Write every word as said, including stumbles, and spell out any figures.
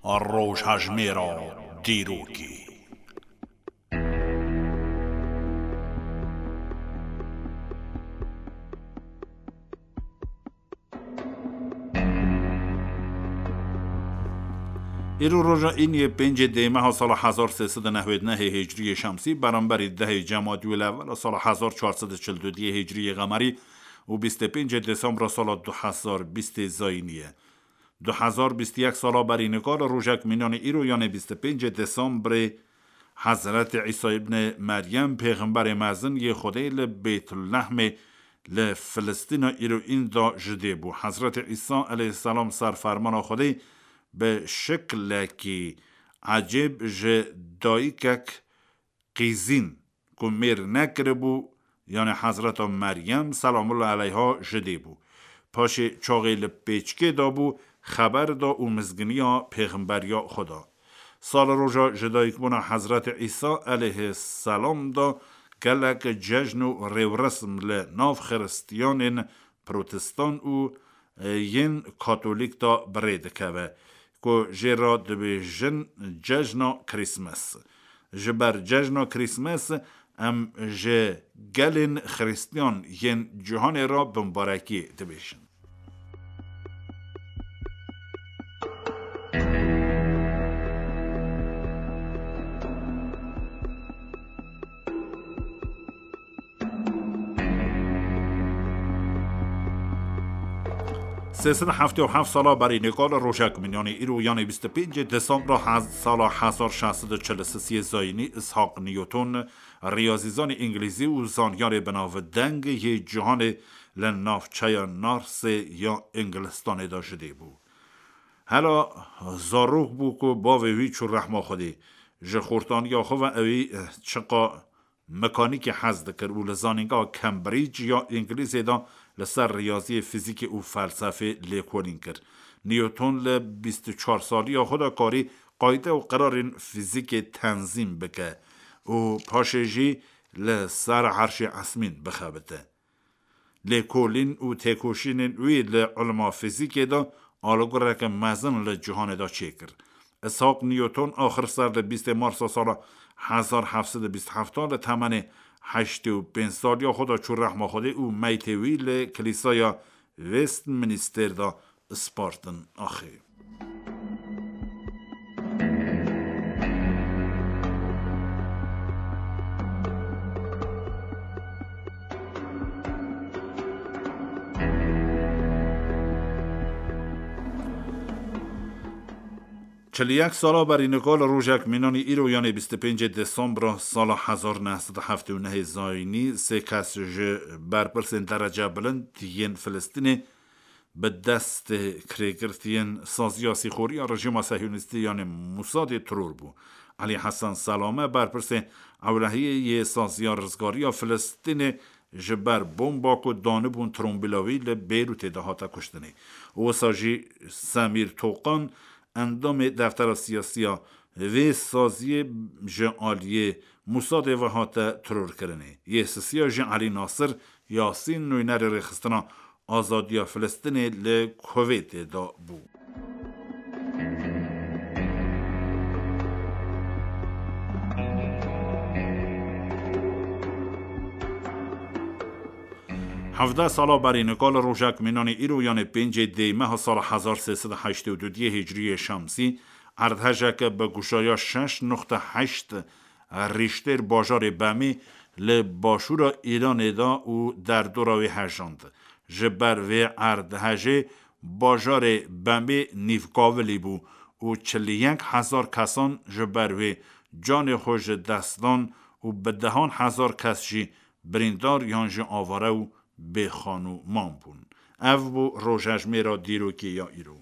Rojhejmêra dîrokê. Îro roja îniyê pêncê dê meha sala hezar sê sed û nehwêd nehê hicriyê şemsî, beramberî dehê Cemadî û Lewela sala hezar çar sed û çil û duyê hicriyê qemerî û bîst û pêncê Desembra sala du hezar bîstê zayînî ye. Du hezar bîst û yek sala berî nika li rojek mînanê îro, yanê bîst û pêncê Desembrê, Hezretê Îsa îbnê Meryem, pêxemberê mezin yê Xwedê, li Bêtulehmê li Filistîna îro înda ji dê bû. Hezretê Îsa eleyhîsselam ser fermana Xwedê bi şiklekî ecêb ji dayikek qîzîn ku mêr nekiribû, yanê Hezreta Meryem selamullah eleyha ji dê bû. Paşê çaxê li pêçikê de bû, xeber da û mizginiya pêxemberiya xwe da. Sal roja ji dayikbûna Hezretê Îsa eleyhîsselam de gelek cejn û rêwresim li nav xiristiyanên protestan û, e, yên katolîk de bi rê dikeve, ku jê re dibêjin cejna Krîsmes. Ji ber cejna Krîsmes em ji gelên xiristiyan yên cîhanê re bimbarekî dibêjin. Sê sed û heftê û heft sala berî nêka li rojek mînanê îro, yanê bîst û pêncê Desembra hez-, sala hezar şeş sed û çil û sê zayînî, Ishak Newton, riyazîzanê îngilîzî û zanyarê binavdeng yê cîhanê, li navçeya Narsê ya Îngilistanê de ji dê bû. Hela zarok bû ku bavê wî çû rehma Xwedê. Ji xortaniya xwe ve ewî çiqa mekanîkê hez dikir û li zanîngeha Cambridge ya Îngilîzê de li ser riyaziyê, fîzîkê û felsefê lêkolîn kir. Newton li bîst û çar saliya xwe de karî qayde û qirarên fîzîkê tenzîm bike û paşê jî li ser erşê esmîn bixebite. Lêkolîn û têkoşînên wî li ilma fîzîkê de alagoreke mezin li cîhanê de çêkir. Ishak Newton axir ser li bîstê Marsa sala hezar heft sed û bîst heft li temenê heştê û pênc saliya xwe de çû rehma Xwedê û meytê wî li Kilîsaya Westminster de spartin axê. Çil û yek sala berî nika li rojek mînanî îro, yanê bîst û pêncê Desembra sala hezar neh sed û heftê û nehê zayînî, sê kes ji berpirsên derece bilind yên Filistînê bi dest kirêgirtiyên saziya sîxoriya rejîma Sehyonîstî, yanê Musadê, teror bû. Elî Hesen Selame, berpirsê ewlehiyê yê saziya rizgariya Filistînê, ji ber bomba ku danibûn trombîla wî li Beyrûtê de hate kuştinê. Wisa jî Semîr Toqan, endamê deftera siyasiya vê saziyê, ji aliyê Musadê ve hate terorkirinê. Yê sisiya jî Elî Nasir Yasîn, nûnerê rêxistina azadiya Filistînê li Kuweytê de bû. Hevdeh sala berî nika li rojek mînanî îro, yanê pêncê dê meha sala hezar sê sed û heştê û du hicriyê şemsî, erdhejeke bi guşaya şeş nuqte heşt Rîştêr bajarê Bemê li başûra Îranê de û derdora wê hejand. Ji ber vê erdhejê bajarê Bemê nîvkavilî bû û çil û yek hezar kesan ji ber wê canê xwe ji dest dan û bi dehan hezar kes jî birîndar yan jî avare û bêxan û man bûn. Ev bû rojhejmêra dîrokê ya îro.